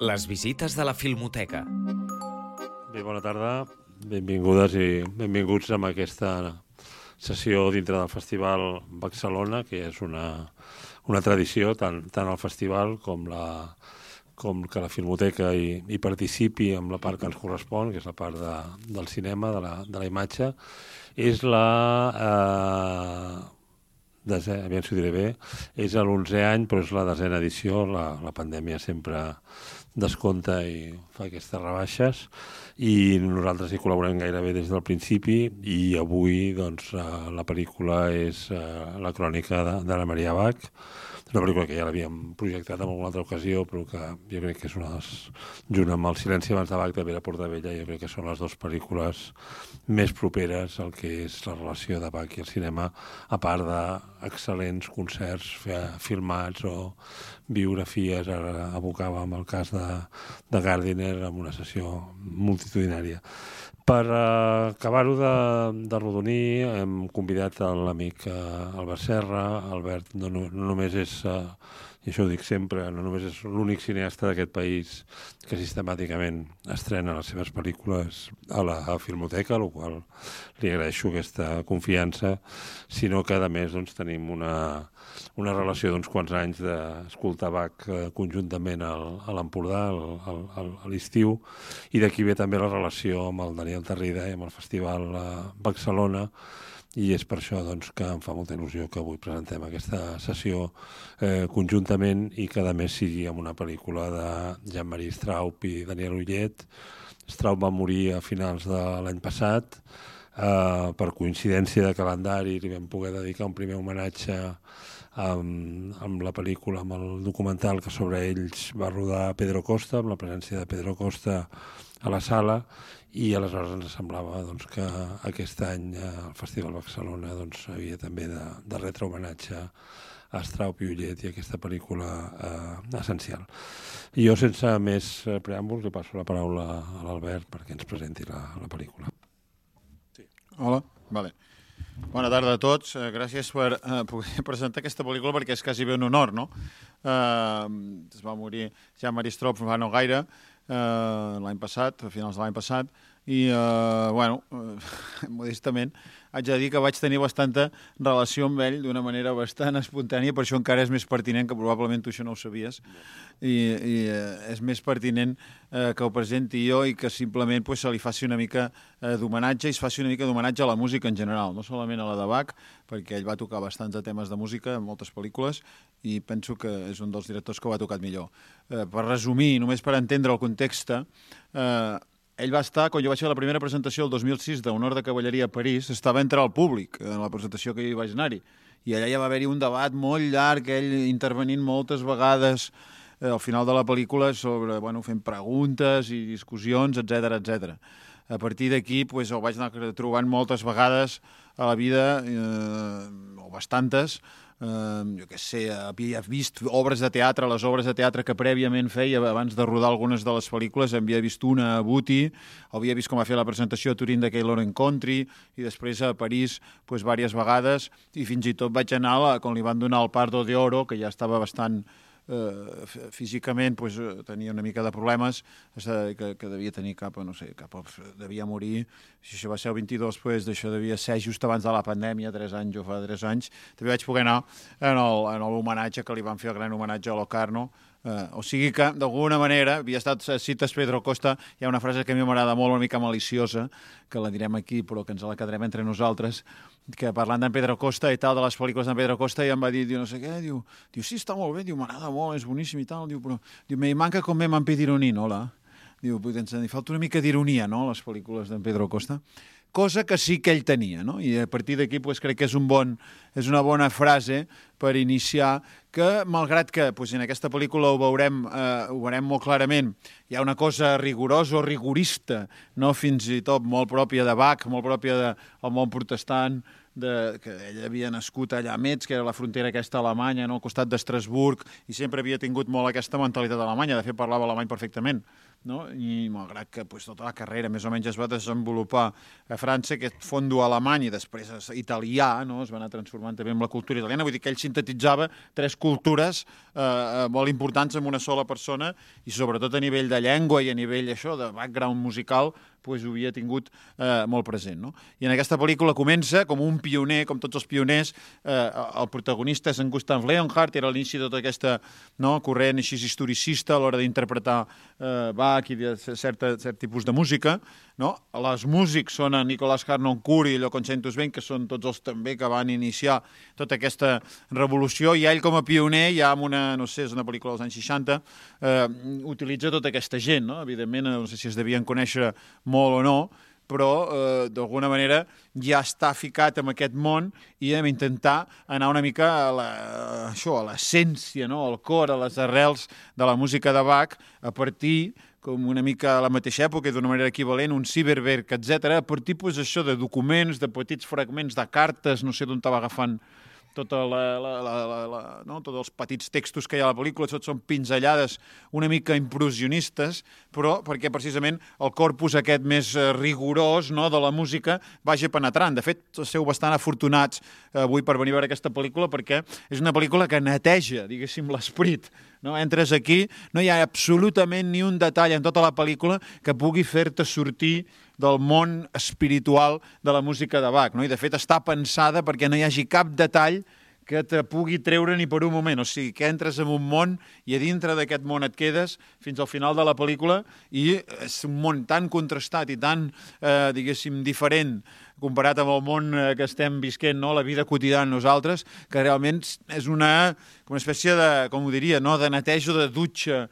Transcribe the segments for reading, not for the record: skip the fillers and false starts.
Les visites de la Filmoteca. Bé, bona tarda, benvingudes i benvinguts a aquesta sessió dintre del Festival Barcelona, que és una tradició, tant al festival com que la Filmoteca hi participi amb la part que ens correspon, que és la part del cinema, de la imatge. És aviam si ho diré bé, és l'11è any, però és la 10a edició. La pandèmia sempre descompta i fa aquestes rebaixes, i nosaltres hi col·laborem gairebé des del principi, i avui doncs, la pel·lícula és La crònica d'Anna Maria Bach, una pel·lícula que ja l'havíem projectat en alguna altra ocasió, però que jo crec que és junt amb El silenci abans de Bach de Vera Portabella, jo crec que són les dues pel·lícules més properes al que és la relació de Bach i el cinema, a part d'excel·lents concerts filmats o biografies. Ara evocàvem el cas de Gardiner amb una sessió multitudinària. Per acabar-ho de rodonir, hem convidat l'amic Albert Serra. Albert no només és, i això ho dic sempre, no només és l'únic cineasta d'aquest país que sistemàticament estrena les seves pel·lícules a la Filmoteca, a la qual li agraeixo aquesta confiança, sinó que a més doncs, tenim una relació d'uns quants anys d'escoltar Bach conjuntament a l'Empordà a l'estiu, i d'aquí ve també la relació amb el Daniel Tarrida i amb el Festival Barcelona, i és per això doncs, que em fa molta il·lusió que avui presentem aquesta sessió conjuntament, i que a més sigui amb una pel·lícula de Jean-Marie Straub i Daniel Ullet. Straub va morir a finals de l'any passat. Per coincidència de calendari li vam poder dedicar un primer homenatge amb la pel·lícula, amb el documental que sobre ells va rodar Pedro Costa, amb la presència de Pedro Costa a la sala, i aleshores ens semblava doncs, que aquest any el Festival Barcelona doncs, havia també de retre homenatge a Straub i Ullet i aquesta pel·lícula essencial. I jo, sense més preàmbuls, li passo la paraula a l'Albert perquè ens presenti la pel·lícula. Sí. Hola, vale. Bona tarda a tots. Gràcies per poder presentar aquesta pel·lícula, perquè és quasi bé un honor, no? Es va morir Jean-Marie Straub fa no gaire, l'any passat, a finals de l'any passat, i, modestament, haig de dir que vaig tenir bastanta relació amb ell d'una manera bastant espontània, per això encara és més pertinent, que probablement tu això no ho sabies, i és més pertinent que ho presenti jo i que simplement se li faci una mica d'homenatge, i es faci una mica d'homenatge a la música en general, no solament a la de Bach, perquè ell va tocar bastants temes de música en moltes pel·lícules, i penso que és un dels directors que ho ha tocat millor. Per resumir, només per entendre el context, ell va estar, quan jo vaig fer la primera presentació el 2006 d'Honor de Cavalleria a París, estava entre el públic en la presentació que hi vaig anar-hi, i allà ja va haver-hi un debat molt llarg, ell intervenint moltes vegades al final de la pel·lícula sobre, fent preguntes i discussions, etc. A partir d'aquí el vaig anar trobant moltes vegades a la vida, o bastantes. Jo què sé, havia vist obres de teatre, les obres de teatre que prèviament feia abans de rodar algunes de les pel·lícules. Havia vist una a Buti, havia vist com va fer la presentació a Turín de Keylor and Country, i després a París diverses vegades, i fins i tot vaig anar quan li van donar el Pardo de Oro, que ja estava bastant físicament, tenia una mica de problemes, que devia tenir devia morir, si això va ser el 22, d'això devia ser just abans de la pandèmia, 3 anys o fa 3 anys, també vaig poder anar en l'homenatge que li van fer, el gran homenatge a Locarno. O sigui que, d'alguna manera, havia estat cites Pedro Costa. Hi ha una frase que a mi m'agrada molt, una mica maliciosa, que la direm aquí, però que ens la quedarem entre nosaltres, que parlant d'en Pedro Costa i tal, de les pel·lícules d'en Pedro Costa, i em va dir, no sé què, diu, sí, està molt bé, m'agrada molt, és boníssim i tal, però me manca com me m'han pedido ironia, no? Diu, li falta una mica d'ironia, no?, les pel·lícules d'en Pedro Costa. Cosa que sí que ell tenia, no? I a partir d'aquí crec que és una bona frase per iniciar, que malgrat que en aquesta pel·lícula ho veurem molt clarament, hi ha una cosa rigorosa o rigorista, no, fins i tot molt pròpia de Bach, molt pròpia del món protestant, que ell havia nascut allà a Metz, que era la frontera aquesta alemanya, no? Al costat d'Estrasburg, i sempre havia tingut molt aquesta mentalitat alemanya, de fet parlava alemany perfectament, no? I malgrat que tota la carrera més o menys es va desenvolupar a França, aquest fondo alemany i després italià, no? Es va anar transformant també amb la cultura italiana, vull dir que ell sintetitzava 3 cultures molt importants en una sola persona i sobretot a nivell de llengua i a nivell de background musical ho havia tingut molt present. No? I en aquesta pel·lícula comença com un pioner, com tots els pioners, el protagonista és en Gustav Leonhardt, era l'inici de tota aquesta corrent així historicista a l'hora d'interpretar Bach i de cert tipus de música. No? Les músics són en Nicolas Harnoncourt i Lloconch Saint-Usbent, que són tots els també que van iniciar tota aquesta revolució, i ell com a pioner, ja amb una, no sé, és una pel·lícula dels anys 60, utilitza tota aquesta gent, no? Evidentment, no sé si es devien conèixer molt o no, però d'alguna manera ja està ficat en aquest món i hem d'intentar anar una mica a l'essència, no? Al cor, a les arrels de la música de Bach, a partir com una mica a la mateixa època, d'una manera equivalent, un Cyberwerk, etc. Per tipus això de documents, de petits fragments de cartes, no sé d'on estava agafant tots els petits textos que hi ha a la pel·lícula, tots són pinzellades una mica impressionistes, però perquè precisament el corpus aquest més rigorós, no, de la música vagi penetrant. De fet, sou bastant afortunats avui per venir a veure aquesta pel·lícula perquè és una pel·lícula que neteja, diguéssim, l'esperit. No? Entres aquí, no hi ha absolutament ni un detall en tota la pel·lícula que pugui fer-te sortir del món espiritual de la música de Bach. No? I de fet està pensada perquè no hi hagi cap detall que te pugui treure ni per un moment. O sigui, que entres en un món i a dintre d'aquest món et quedes fins al final de la pel·lícula i és un món tan contrastat i tan, diguéssim, diferent comparat amb el món que estem visquent, no? La vida quotidiana nosaltres, que realment és una espècie de, com ho diria, no? De neteja, de dutxa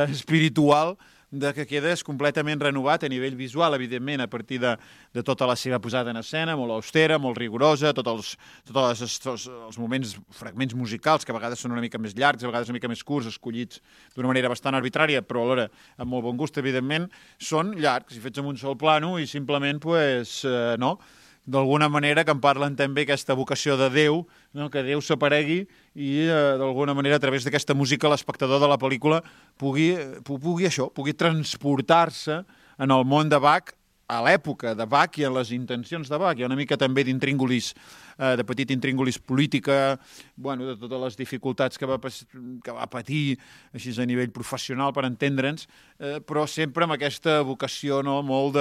espiritual, de que quedes completament renovat a nivell visual, evidentment, a partir de tota la seva posada en escena, molt austera, molt rigorosa, tots els moments, fragments musicals, que a vegades són una mica més llargs, a vegades una mica més curts, escollits d'una manera bastant arbitrària, però alhora amb molt bon gust, evidentment, són llargs i fets en un sol plano i simplement, no?, d'alguna manera que en parlen també aquesta vocació de Déu, no? Que Déu s'aparegui i d'alguna manera a través d'aquesta música l'espectador de la pel·lícula pugui transportar-se en el món de Bach, a l'època de Bach i a les intencions de Bach. Hi ha una mica també d'intríngulis, de petit intríngulis política, de totes les dificultats que va patir així a nivell professional per entendre'ns, però sempre amb aquesta vocació, no, molt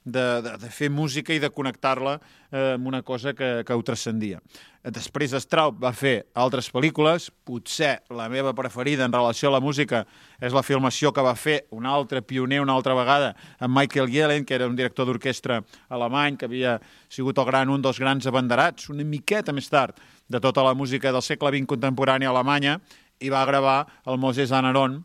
de fer música i de connectar-la amb una cosa que ho transcendia. Després Straub va fer altres pel·lícules, potser la meva preferida en relació a la música és la filmació que va fer un altre pioner una altra vegada amb Michael Yellen, que era un director d'orquestra alemany, que havia sigut un dels grans abanderats, una miqueta més tard, de tota la música del segle XX contemporània a Alemanya, i va gravar el Moses Anaron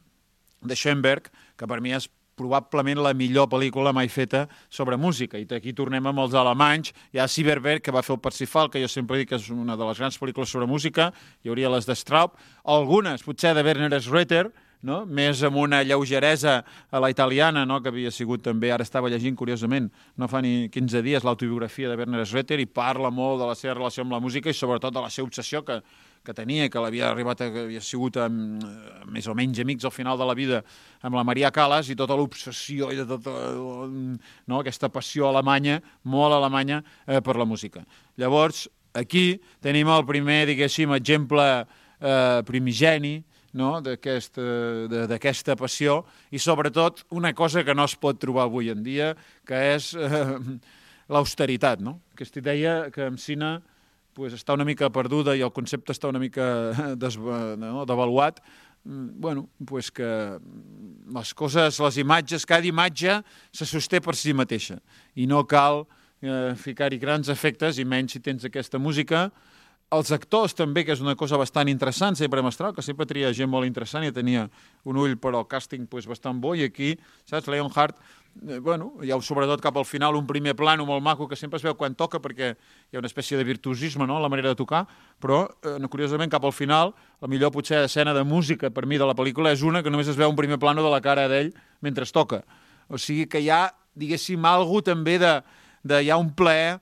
de Schoenberg, que per mi és probablement la millor pel·lícula mai feta sobre música. I aquí tornem amb els alemanys. Hi ha Cyberwerk, que va fer el Parsifal, que jo sempre dic que és una de les grans pel·lícules sobre música. Hi hauria les de Straub. Algunes, potser, de Werner Schroeter, no? Més amb una lleugeresa a la italiana, no? Que havia sigut també, ara estava llegint curiosament, no fa ni 15 dies, l'autobiografia de Werner Schroeter, i parla molt de la seva relació amb la música i sobretot de la seva obsessió que tenia, que havia sigut més o menys amics al final de la vida amb la Maria Callas, i tota l'obsessió i de tota aquesta passió alemanya, molt alemanya, per la música. Llavors, aquí tenim el primer, diguéssim, exemple primigeni, no? D'aquesta passió, i sobretot una cosa que no es pot trobar avui en dia, que és l'austeritat, no? Aquesta idea que en cine està una mica perduda i el concepte està una mica devaluat, que les coses, les imatges, cada imatge se sosté per si mateixa i no cal ficar-hi grans efectes, i menys si tens aquesta música. Els actors també, que és una cosa bastant interessant, sempre Mestral, que sempre tria gent molt interessant i tenia un ull per al càsting bastant bo, i aquí, saps, Leonhardt, hi ha sobretot cap al final un primer plano molt maco que sempre es veu quan toca, perquè hi ha una espècie de virtuosisme, no?, en la manera de tocar, però curiosament cap al final la millor potser escena de música per mi de la pel·lícula és una que només es veu un primer plano de la cara d'ell mentre es toca. O sigui que hi ha, diguéssim, algú també hi ha un plaer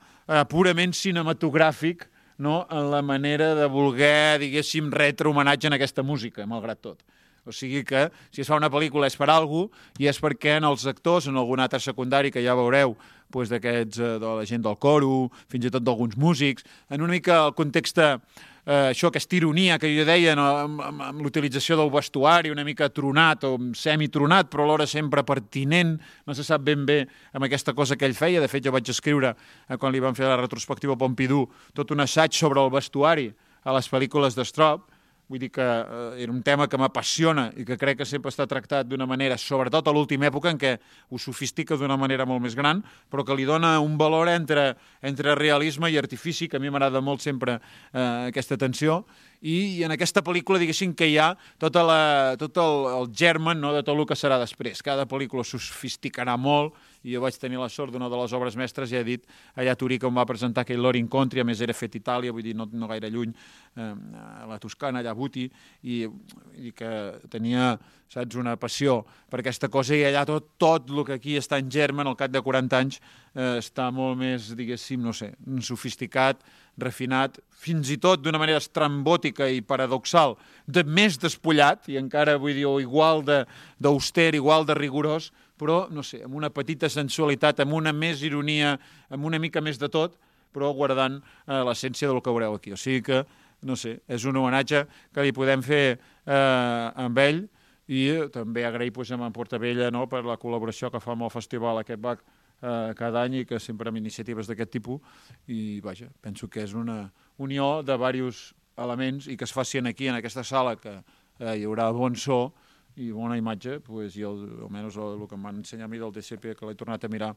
purament cinematogràfic, no? En la manera de voler, diguéssim, retre homenatge en aquesta música, malgrat tot. O sigui que, si es fa una pel·lícula és per alguna cosa, i és perquè en els actors, en algun altre secundari que ja veureu, doncs d'aquests, de la gent del coro, fins i tot d'alguns músics, en una mica el context, això, aquesta ironia que jo deia, no? Amb l'utilització del vestuari, una mica tronat o semitronat, però alhora sempre pertinent, no se sap ben bé amb aquesta cosa que ell feia. De fet, jo vaig escriure, quan li van fer la retrospectiva Pompidou, tot un assaig sobre el vestuari a les pel·lícules d'Strop. Vull dir que era un tema que m'apassiona i que crec que sempre està tractat d'una manera, sobretot a l'última època, en què ho sofistica d'una manera molt més gran, però que li dona un valor entre realisme i artifici, que a mi m'agrada molt sempre aquesta tensió, i en aquesta pel·lícula, diguéssim, que hi ha tot el germen, no?, de tot el que serà després. Cada pel·lícula sofisticarà molt, i jo vaig tenir la sort d'una de les obres mestres, ja he dit, allà a Turí, que em va presentar aquell Loro Incontri, a més era fet a Itàlia, vull dir, no gaire lluny, a la Toscana, allà a Buti, i que tenia, saps, una passió per aquesta cosa, i allà tot el que aquí està en germen, al cap de 40 anys, està molt més, diguéssim, no sé, sofisticat, refinat, fins i tot d'una manera estrambòtica i paradoxal, més despullat, i encara, vull dir, igual d'auster, igual de rigorós, però, no sé, amb una petita sensualitat, amb una més ironia, amb una mica més de tot, però guardant l'essència del que veureu aquí. O sigui que, no sé, és un homenatge que li podem fer amb ell, i també agrair a en Portavella, no?, per la col·laboració que fa amb el festival aquest BAC cada any, i que sempre amb iniciatives d'aquest tipus, i vaja, penso que és una unió de diversos elements i que es facin aquí, en aquesta sala, que hi haurà bon so i bona imatge, doncs, i almenys el que em van ensenyar a mi del DCP, que l'he tornat a mirar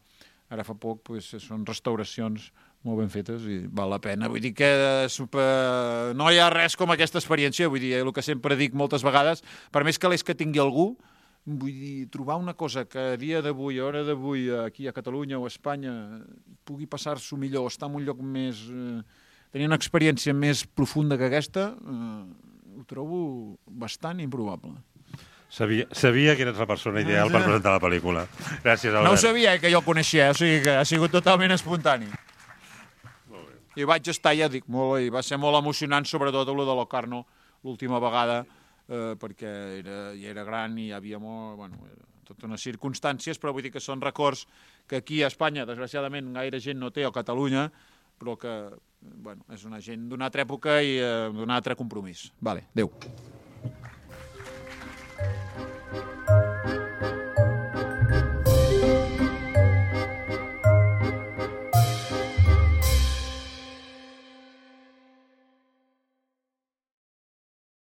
ara fa poc, doncs, són restauracions molt ben fetes i val la pena. Vull dir que no hi ha res com aquesta experiència, vull dir, el que sempre dic moltes vegades, per més calés que tingui algú, vull dir, trobar una cosa que a dia d'avui, a hora d'avui, aquí a Catalunya o a Espanya, pugui passar-s'ho millor, estar en un lloc més... tenir una experiència més profunda que aquesta, ho trobo bastant improbable. Sabia que eres la persona ideal per presentar la pel·lícula. Gràcies, Albert. No ho sabia, que jo el coneixia, o sigui que ha sigut totalment espontani. Molt bé. I vaig estar, ja dic, molt, i va ser molt emocionant, sobretot el de Locarno, l'última vegada, perquè ja era gran i hi havia tota unes circumstàncies, però vull dir que són records que aquí a Espanya, desgraciadament, gaire gent no té, o a Catalunya, però que és una gent d'una altra època i d'un altre compromís. Vale, adéu.